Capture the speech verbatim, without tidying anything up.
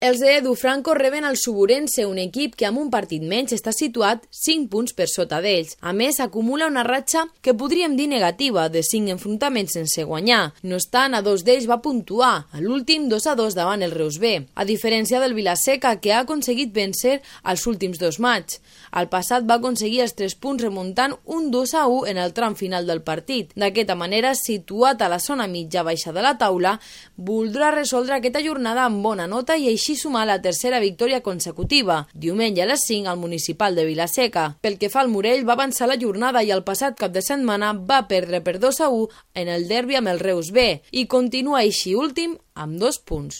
Els de Edu Franco reben el Suburense, un equip que amb un partit menys està situat cinc punts per sota d'ells. A més, acumula una ratxa que podríem dir negativa, de cinc enfrontaments sense guanyar. No obstant, a dos d'ells va puntuar, a l'últim dos a dos davant el Reus B, a diferència del Vilaseca, que ha aconseguit vencer els últims dos matxs. Al passat va aconseguir els tres punts remuntant un dos a u en el tram final del partit. D'aquesta manera, situat a la zona mitja-baixa de la taula, voldrà resoldre aquesta jornada amb bona nota i així així sumar la tercera victòria consecutiva, diumenge a les cinc al Municipal de Vilaseca. Pel que fa al Morell, va avançar la jornada i el passat cap de setmana va perdre per dos a u en el derbi amb el Reus B i continua així últim amb dos punts.